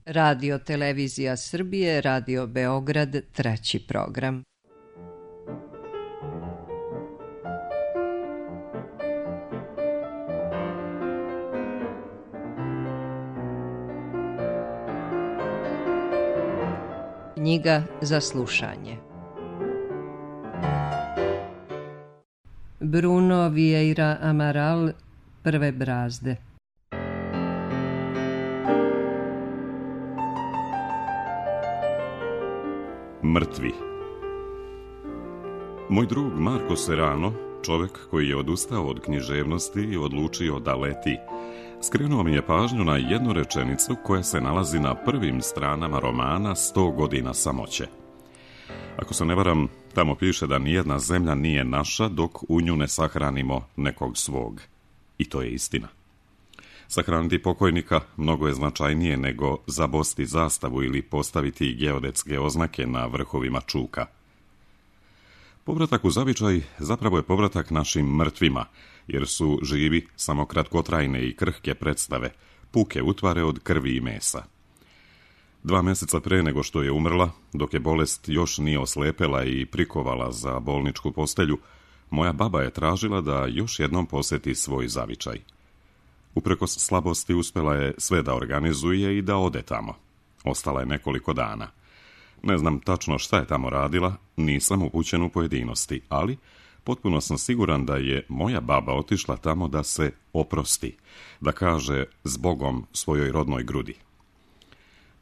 Radio Televizija Srbije, Radio Beograd, treći program. Knjiga za slušanje. Bruno Vieira Amaral, Prve brazde. Mrtvi. Moj drug Marko Serrano, čovjek koji je odustao od književnosti i odlučio da leti, skrenuo mi je pažnju na jednu rečenicu koja se nalazi na prvim stranama romana 100 godina samoće. Ako se ne varam, tamo piše da nijedna zemlja nije naša dok u nju ne sahranimo nekog svog. I to je istina. Sahraniti pokojnika mnogo je značajnije nego zabosti zastavu ili postaviti geodetske oznake na vrhovima čuka. Povratak u zavičaj zapravo je povratak našim mrtvima, jer su živi samo kratkotrajne i krhke predstave, puke utvare od krvi i mesa. 2 mjeseca pre nego što je umrla, dok je bolest još nije oslepela i prikovala za bolničku postelju, moja baba je tražila da još jednom posjeti svoj zavičaj. Uprkos slabosti uspjela je sve da organizuje i da ode tamo. Ostala je nekoliko dana. Ne znam tačno šta je tamo radila, nisam upućen u pojedinosti, ali potpuno sam siguran da je moja baba otišla tamo da se oprosti, da kaže zbogom svojoj rodnoj grudi.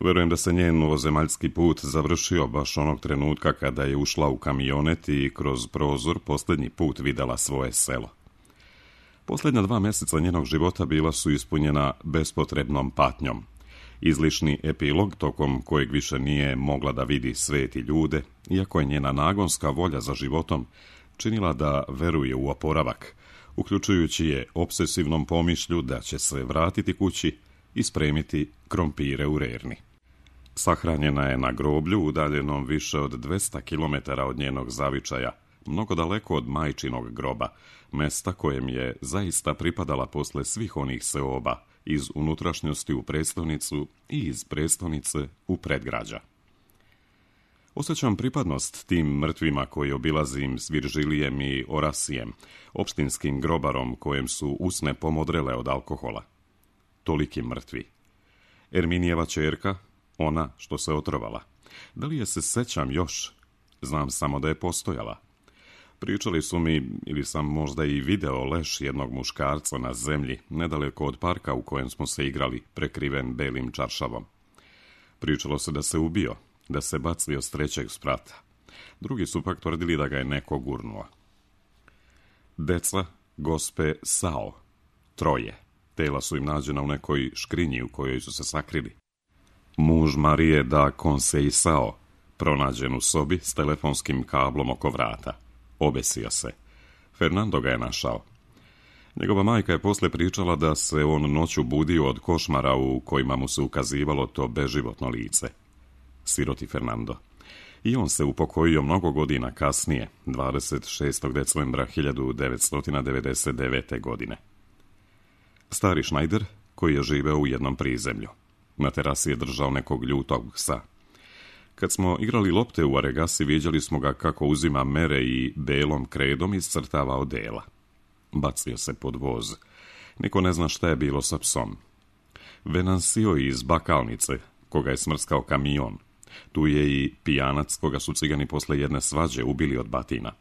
Verujem da se njen ovozemaljski put završio baš onog trenutka kada je ušla u kamionet i kroz prozor posljednji put vidjela svoje selo. Posljednja 2 mjeseca njenog života bila su ispunjena bespotrebnom patnjom. Izlišni epilog tokom kojeg više nije mogla da vidi svet i ljude, iako je njena nagonska volja za životom činila da veruje u oporavak, uključujući je obsesivnom pomišlju da će se vratiti kući i spremiti krompire u rerni. Sahranjena je na groblju udaljenom više od 200 km od njenog zavičaja, mnogo daleko od majčinog groba, mesta kojem je zaista pripadala posle svih onih seoba, iz unutrašnjosti u prestonicu i iz prestonice u predgrađa. Osjećam pripadnost tim mrtvima koji obilazim s Viržilijem i Orasijem, opštinskim grobarom kojem su usne pomodrele od alkohola. Toliki mrtvi. Erminijeva ćerka, ona što se otrovala. Da li je se sećam još? Znam samo da je postojala. Pričali su mi, ili sam možda i video leš jednog muškarca na zemlji, nedaleko od parka u kojem smo se igrali, prekriven belim čaršavom. Pričalo se da se ubio, da se bacio s 3. sprata. Drugi su pak tvrdili da ga je neko gurnuo. Deca gospe Sao, 3. Tela su im nađena u nekoj škrinji u kojoj su se sakrili. Muž Marije da Conseisao, pronađen u sobi s telefonskim kablom oko vrata. Obesio se. Fernando ga je našao. Njegova majka je posle pričala da se on noću budio od košmara u kojima mu se ukazivalo to beživotno lice. Siroti Fernando. I on se upokojio mnogo godina kasnije, 26. decembra 1999. godine. Stari Schneider, koji je živeo u jednom prizemlju. Na terasi je držao nekog ljutog psa. Kad smo igrali lopte u Aregasi, viđali smo ga kako uzima mere i belom kredom iscrtava odela. Bacio se pod voz. Niko ne zna šta je bilo sa psom. Venancio iz Bakalnice, koga je smrskao kamion. Tu je i pijanac koga su cigani posle jedne svađe ubili od batina.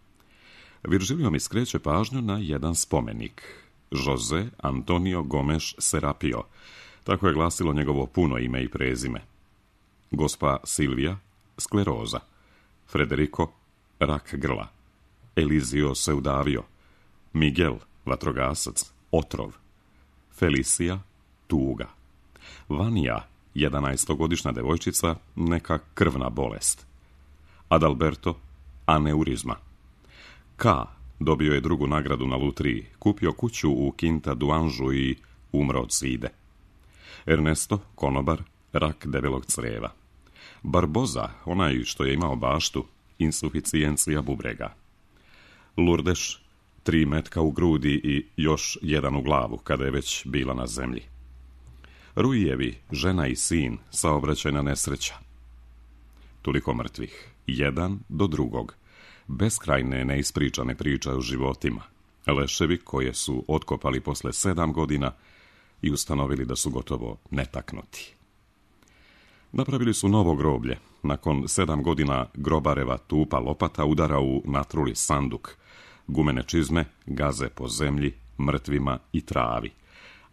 Viržilio mi skreće pažnju na jedan spomenik. Jose Antonio Gomes Serapio. Tako je glasilo njegovo puno ime i prezime. Gospa Silvija, skleroza. Federico, rak grla. Elizio Seudavio. Miguel, vatrogasac, otrov. Felicia, tuga. Vanja, 11-godišnja devojčica, neka krvna bolest. Adalberto, aneurizma. K. dobio je 2. nagradu na lutriji, kupio kuću u Quinta do Anžu i umro od side. Ernesto, konobar, rak debelog creva. Barboza, onaj što je imao baštu, insuficijencija bubrega. Lurdeš, 3 metka u grudi i još 1 u glavu, kada je već bila na zemlji. Ruijevi, žena i sin, saobraćajna nesreća. Toliko mrtvih, jedan do drugog. Beskrajne neispričane priče o životima. Leševi koje su otkopali posle 7 godina i ustanovili da su gotovo netaknuti. Napravili su novo groblje. Nakon 7 godina grobareva tupa lopata udara u natruli sanduk. Gumene čizme gaze po zemlji, mrtvima i travi.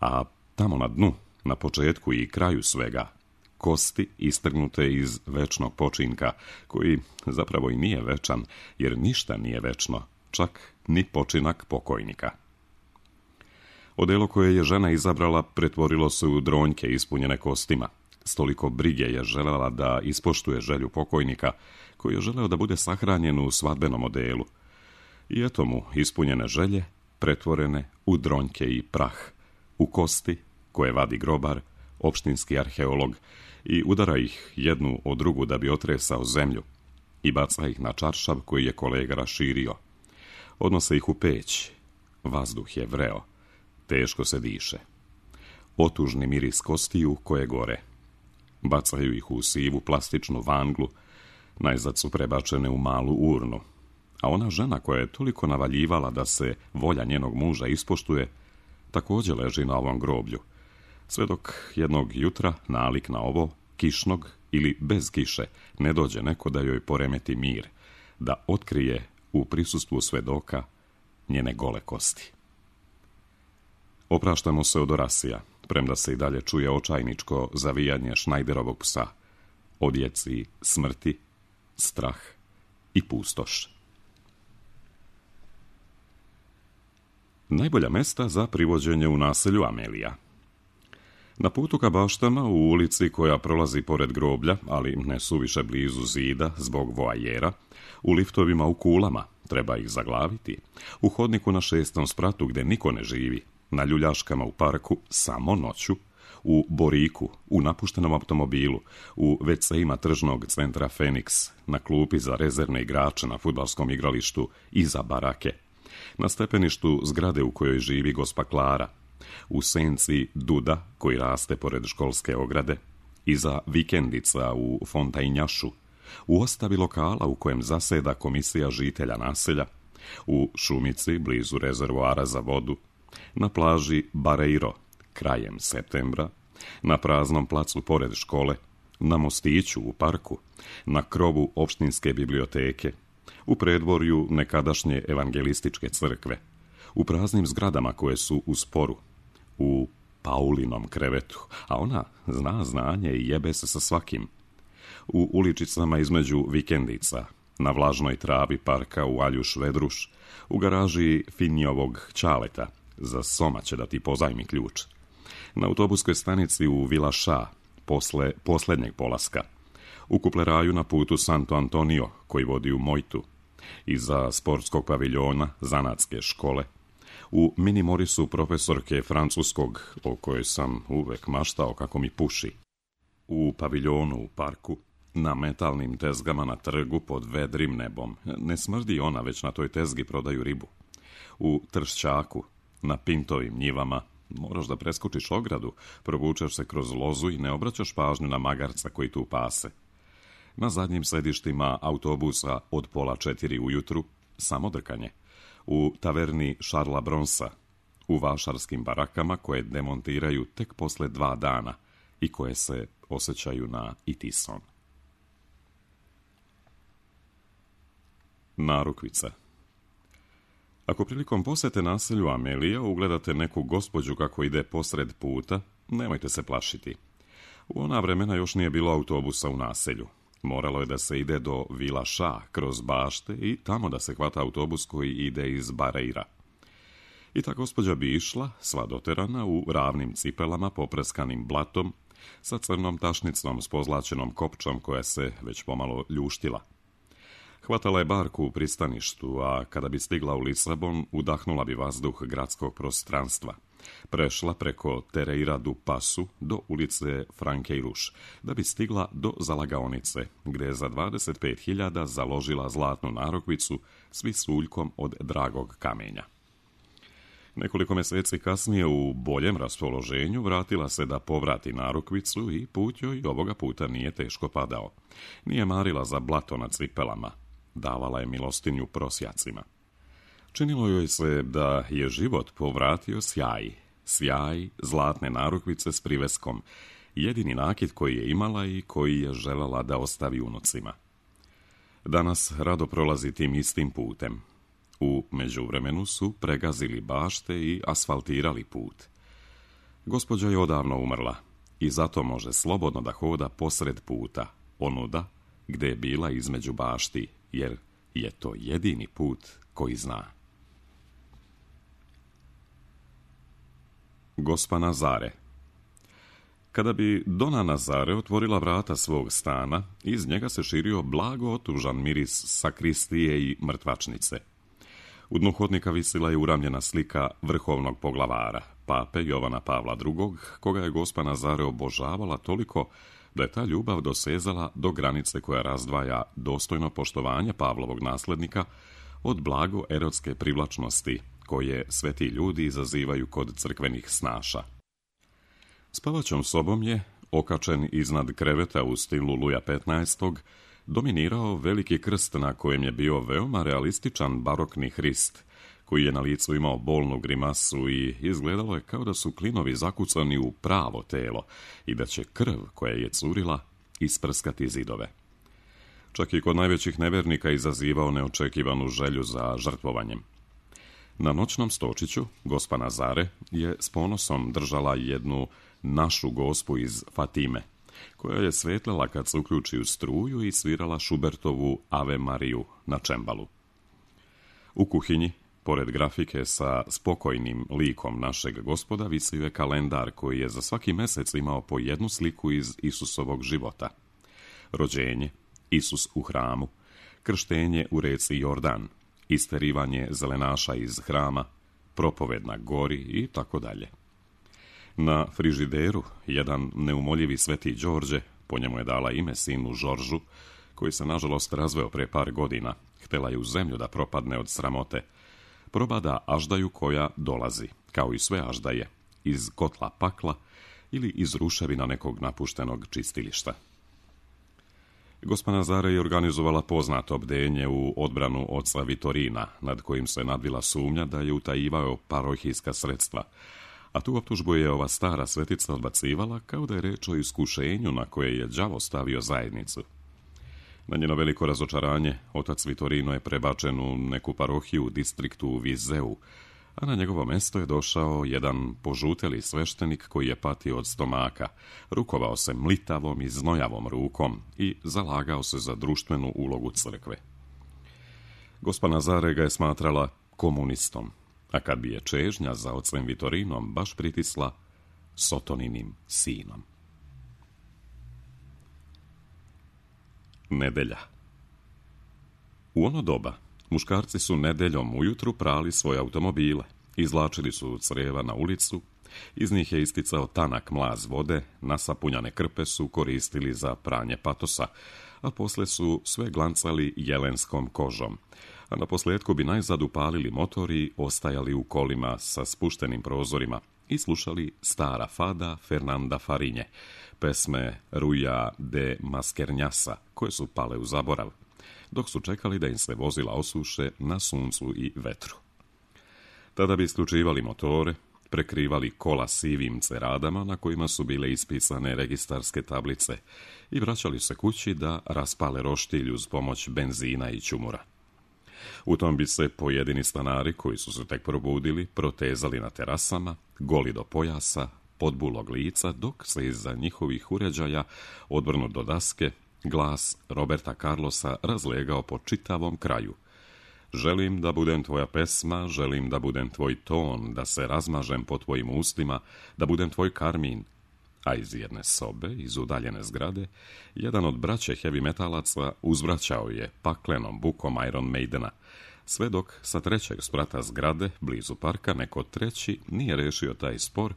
A tamo na dnu, na početku i kraju svega, kosti istrgnute iz večnog počinka, koji zapravo i nije večan, jer ništa nije večno, čak ni počinak pokojnika. Odelo koje je žena izabrala pretvorilo se u dronjke ispunjene kostima. S toliko brige je želela da ispoštuje želju pokojnika, koji je želeo da bude sahranjen u svadbenom odelu. I eto mu ispunjene želje, pretvorene u dronjke i prah, u kosti koje vadi grobar, opštinski arheolog, i udara ih jednu o drugu da bi otresao zemlju i baca ih na čaršav koji je kolega raširio. Odnose ih u peć. Vazduh je vreo. Teško se diše. Otužni miris kostiju koje gore. Bacaju ih u sivu plastičnu vanglu, najzad su prebačene u malu urnu. A ona žena koja je toliko navaljivala da se volja njenog muža ispoštuje, također leži na ovom groblju. Sve dok jednog jutra, nalik na ovo, kišnog ili bez kiše, ne dođe neko da joj poremeti mir, da otkrije u prisustvu svedoka njene gole kosti. Opraštamo se od orasija, premda se i dalje čuje očajničko zavijanje Šnajderovog psa, odjeci smrti, strah i pustoš. Najbolja mesta za privođenje u naselju Amelija. Na putu ka baštama u ulici koja prolazi pored groblja, ali ne suviše blizu zida zbog voajera, u liftovima u kulama, treba ih zaglaviti, u hodniku na 6. spratu gde niko ne živi, na ljuljaškama u parku samo noću, u Boriku, u napuštenom automobilu, u WC-ima tržnog centra Feniks, na klupi za rezervne igrače na fudbalskom igralištu iza barake, na stepeništu zgrade u kojoj živi gospa Klara, u senci duda koji raste pored školske ograde, iza vikendica u Fontajnjašu, u ostavi lokala u kojem zaseda komisija žitelja naselja, u šumici blizu rezervoara za vodu, na plaži Bareiro krajem septembra, na praznom placu pored škole, na mostiću u parku, na krovu opštinske biblioteke, u predvorju nekadašnje evangelističke crkve, u praznim zgradama koje su u sporu, u Paulinom krevetu, a ona zna znanje i jebe se sa svakim, u uličicama između vikendica, na vlažnoj travi parka u Aljuš Vedruš, u garaži Finjovog Ćaleta, za Soma će da ti pozajmi ključ, na autobuskoj stanici u Vilaša, posle posljednjeg polaska, u kupleraju na putu Santo Antonio, koji vodi u Mojtu, iza sportskog paviljona zanatske škole, u mini Morisu profesorke francuskog, o kojoj sam uvek maštao kako mi puši, u paviljonu u parku, na metalnim tezgama na trgu pod vedrim nebom. Ne smrdi ona, već na toj tezgi prodaju ribu. U Tršćaku, na Pintovim njivama, moraš da preskočiš ogradu, provučeš se kroz lozu i ne obraćaš pažnju na magarca koji tu pase. Na zadnjim sedištima autobusa od 3:30 ujutru samo drkanje. U taverni Šarla Bronsa, u vašarskim barakama koje demontiraju tek posle 2 dana i koje se osjećaju na Itison. Narukvica. Ako prilikom posete naselju Amelija ugledate neku gospođu kako ide posred puta, nemojte se plašiti. U ona vremena još nije bilo autobusa u naselju. Moralo je da se ide do Vilaša kroz bašte i tamo da se hvata autobus koji ide iz Bareira. I ta gospođa bi išla, sva doterana, u ravnim cipelama popreskanim blatom, sa crnom tašnicom s pozlačenom kopčom koja se već pomalo ljuštila. Hvatala je barku u pristaništu, a kada bi stigla u Lisabon, udahnula bi vazduh gradskog prostranstva. Prešla preko Tereira du Pasu do ulice Frankeiruš, da bi stigla do zalagaonice, gde je za 25.000 založila zlatnu narukvicu s visuljkom od dragog kamenja. Nekoliko mjeseci kasnije u boljem raspoloženju vratila se da povrati narukvicu i put joj ovoga puta nije teško padao. Nije marila za blato na cipelama. Davala je milostinju prosjacima. Činilo joj se da je život povratio sjaj zlatne narukvice s priveskom, jedini nakit koji je imala i koji je željela da ostavi unucima. Danas rado prolazi tim istim putem. U međuvremenu su pregazili bašte i asfaltirali put. Gospođa je odavno umrla i zato može slobodno da hoda posred puta, onuda gdje je bila između bašti, jer je to jedini put koji zna. Gospa Nazare. Kada bi Dona Nazare otvorila vrata svog stana, iz njega se širio blago otužan miris sakristije i mrtvačnice. U dnu hodnika visila je uramljena slika vrhovnog poglavara, pape Jovana Pavla II, koga je gospa Nazare obožavala toliko da je ta ljubav dosezala do granice koja razdvaja dostojno poštovanje Pavlovog naslednika od blago erotske privlačnosti koje sveti ljudi izazivaju kod crkvenih snaša. Spavaćom sobom je, okačen iznad kreveta u stilu Luja XV, dominirao veliki krst na kojem je bio veoma realističan barokni Hrist, koji je na licu imao bolnu grimasu i izgledalo je kao da su klinovi zakucani u pravo telo i da će krv koja je curila isprskati zidove. Čak i kod najvećih nevernika izazivao neočekivanu želju za žrtvovanjem. Na noćnom stočiću gospa Nazare je s ponosom držala jednu našu gospu iz Fatime, koja je svetlala kad se uključi u struju i svirala Schubertovu Ave Mariju na čembalu. U kuhinji, pored grafike sa spokojnim likom našeg Gospoda, visio je kalendar koji je za svaki mjesec imao po jednu sliku iz Isusovog života. Rođenje, Isus u hramu, krštenje u reci Jordan, isterivanje zelenaša iz hrama, propoved na gori i tako dalje. Na frižideru jedan neumoljivi sveti Đorđe, po njemu je dala ime sinu Žoržu, koji se nažalost razveo pre par godina, htjela je u zemlju da propadne od sramote, probada aždaju koja dolazi, kao i sve aždaje, iz kotla pakla ili iz ruševina nekog napuštenog čistilišta. Gospa Nazare je organizovala poznato bdenje u odbranu oca Vitorina, nad kojim se nadvila sumnja da je utajivao parohijska sredstva, a tu optužbu je ova stara svetica odbacivala kao da je reč o iskušenju na koje je đavo stavio zajednicu. Na njeno veliko razočaranje, otac Vitorino je prebačen u neku parohiju u distriktu Vizeu, a na njegovo mjesto je došao jedan požuteli sveštenik koji je patio od stomaka, rukovao se mlitavom i znojavom rukom i zalagao se za društvenu ulogu crkve. Gospa Nazare ga je smatrala komunistom, a kad bi je čežnja za ocem Vitorinom baš pritisla Sotoninim sinom. Nedelja. U ono doba muškarci su nedeljom ujutru prali svoje automobile, izvlačili su creva na ulicu, iz njih je isticao tanak mlaz vode, nasapunjane krpe su koristili za pranje patosa, a posle su sve glancali jelenskom kožom, a na posljedku bi najzad upalili motor i ostajali u kolima sa spuštenim prozorima i slušali stara fada Fernanda Farinje, pesme Ruja de Maskernjasa, koje su pale u zaborav, dok su čekali da im se vozila osuše na suncu i vetru. Tada bi isključivali motore, prekrivali kola sivim ceradama na kojima su bile ispisane registarske tablice i vraćali se kući da raspale roštilj uz pomoć benzina i čumura. U tom bi se pojedini stanari koji su se tek probudili protezali na terasama, goli do pojasa, podbulog lica, dok se iza njihovih uređaja, odvrnut do daske, glas Roberta Carlosa razlegao po čitavom kraju. Želim da budem tvoja pesma, želim da budem tvoj ton, da se razmažem po tvojim ustima, da budem tvoj karmin. A iz jedne sobe, iz udaljene zgrade, jedan od braće heavy metalaca uzvraćao je paklenom bukom Iron Maidena, sve dok sa trećeg sprata zgrade, blizu parka, neko treći nije rešio taj spor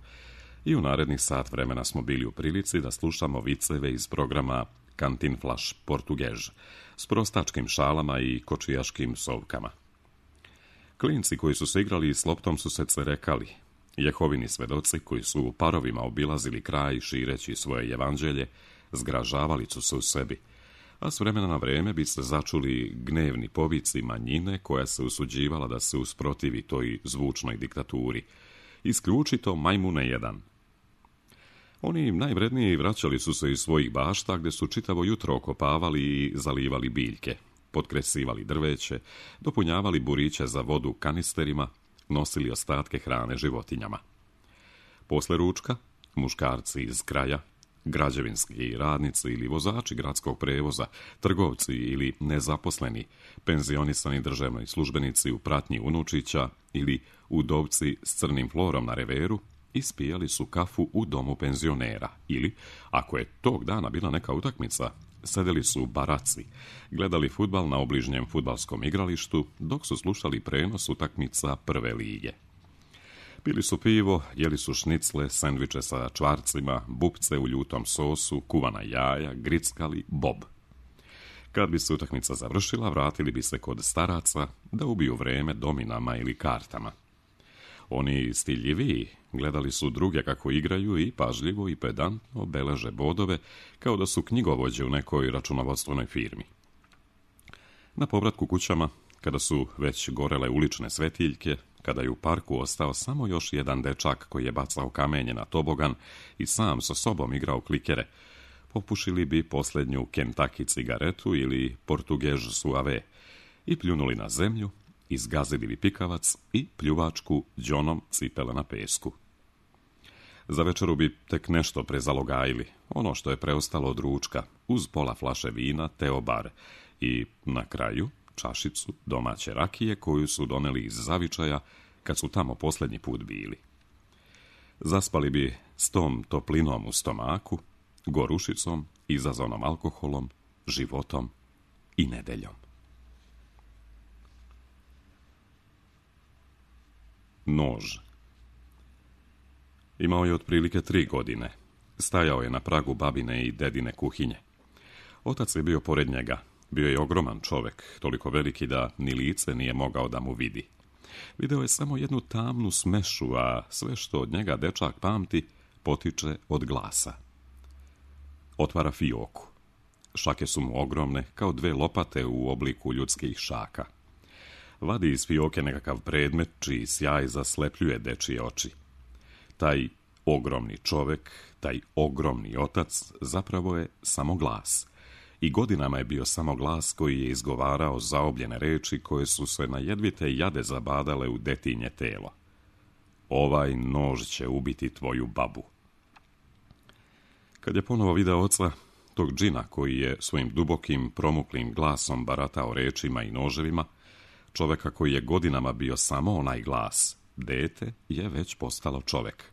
i u narednih sat vremena smo bili u prilici da slušamo viceve iz programa Cantinflas Português s prostačkim šalama i kočijaškim sovkama. Klinci koji su se igrali s loptom su se cerekali. Jehovini svedoci koji su u parovima obilazili kraj šireći svoje evanđelje, zgražavali su se u sebi, a s vremena na vreme bi se začuli gnevni povici manjine koja se usuđivala da se usprotivi toj zvučnoj diktaturi. Isključito majmune jedan. Oni najvredniji vraćali su se iz svojih bašta gdje su čitavo jutro okopavali i zalivali biljke, potkresivali drveće, dopunjavali buriće za vodu kanisterima, nosili ostatke hrane životinjama. Posle ručka, muškarci iz kraja, građevinski radnici ili vozači gradskog prevoza, trgovci ili nezaposleni, penzionisani državni službenici u pratnji unučića ili udovci s crnim florom na reveru, ispijali su kafu u domu penzionera ili, ako je tog dana bila neka utakmica, sedeli su u baraci, gledali fudbal na obližnjem fudbalskom igralištu dok su slušali prenos utakmica prve lige. Pili su pivo, jeli su šnicle, sendviče sa čvarcima, bupce u ljutom sosu, kuvana jaja, grickali, bob. Kad bi se utakmica završila, vratili bi se kod staraca da ubiju vreme dominama ili kartama. Oni stiljiviji gledali su druge kako igraju i pažljivo i pedantno beleže bodove kao da su knjigovođe u nekoj računovodstvenoj firmi. Na povratku kućama, kada su već gorele ulične svetiljke, kada je u parku ostao samo još jedan dečak koji je bacao kamenje na tobogan i sam sa sobom igrao klikere, popušili bi posljednju Kentucky cigaretu ili Portugež suave i pljunuli na zemlju, izgazili bi pikavac i pljuvačku đonom cipele na pesku. Za večeru bi tek nešto prezalogajili, ono što je preostalo od ručka, uz pola flaše vina, teobar i, na kraju, čašicu domaće rakije koju su doneli iz zavičaja kad su tamo posljednji put bili. Zaspali bi s tom toplinom u stomaku, gorušicom, izazvanom alkoholom, životom i nedeljom. Nož. Imao je otprilike 3 godine. Stajao je na pragu babine i dedine kuhinje. Otac je bio pored njega. Bio je ogroman čovjek, toliko veliki da ni lice nije mogao da mu vidi. Video je samo jednu tamnu smešu, a sve što od njega dečak pamti potiče od glasa. Otvara fioku. Šake su mu ogromne, kao 2 lopate u obliku ljudskih šaka. Vadi iz fioke nekakav predmet čiji sjaj zaslepljuje dečije oči. Taj ogromni čovjek, taj ogromni otac zapravo je samo glas. I godinama je bio samo glas koji je izgovarao zaobljene reči koje su se na jedvite jade zabadale u detinje telo. Ovaj nož će ubiti tvoju babu. Kad je ponovo video oca, tog džina koji je svojim dubokim, promuklim glasom baratao rečima i noževima, čovjeka koji je godinama bio samo onaj glas, dete je već postalo čovjek.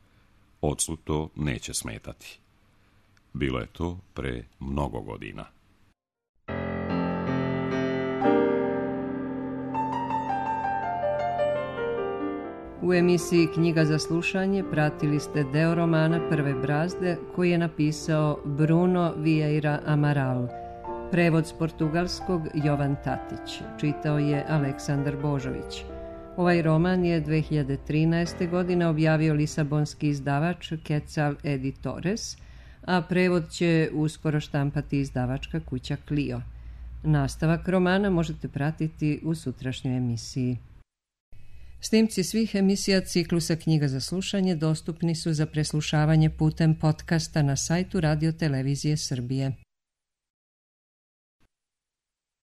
Ocu to neće smetati. Bilo je to pre mnogo godina. U emisiji Knjiga za slušanje pratili ste deo romana Prve brazde koji je napisao Bruno Vieira Amaral. Prevod s portugalskog Jovan Tatić. Čitao je Aleksandar Božović. Ovaj roman je 2013. godine objavio lisabonski izdavač Quetzal Editores, a prevod će uskoro štampati izdavačka kuća Clio. Nastavak romana možete pratiti u sutrašnjoj emisiji. Snimci svih emisija ciklusa Knjiga za slušanje dostupni su za preslušavanje putem podcasta na sajtu Radio Televizije Srbije.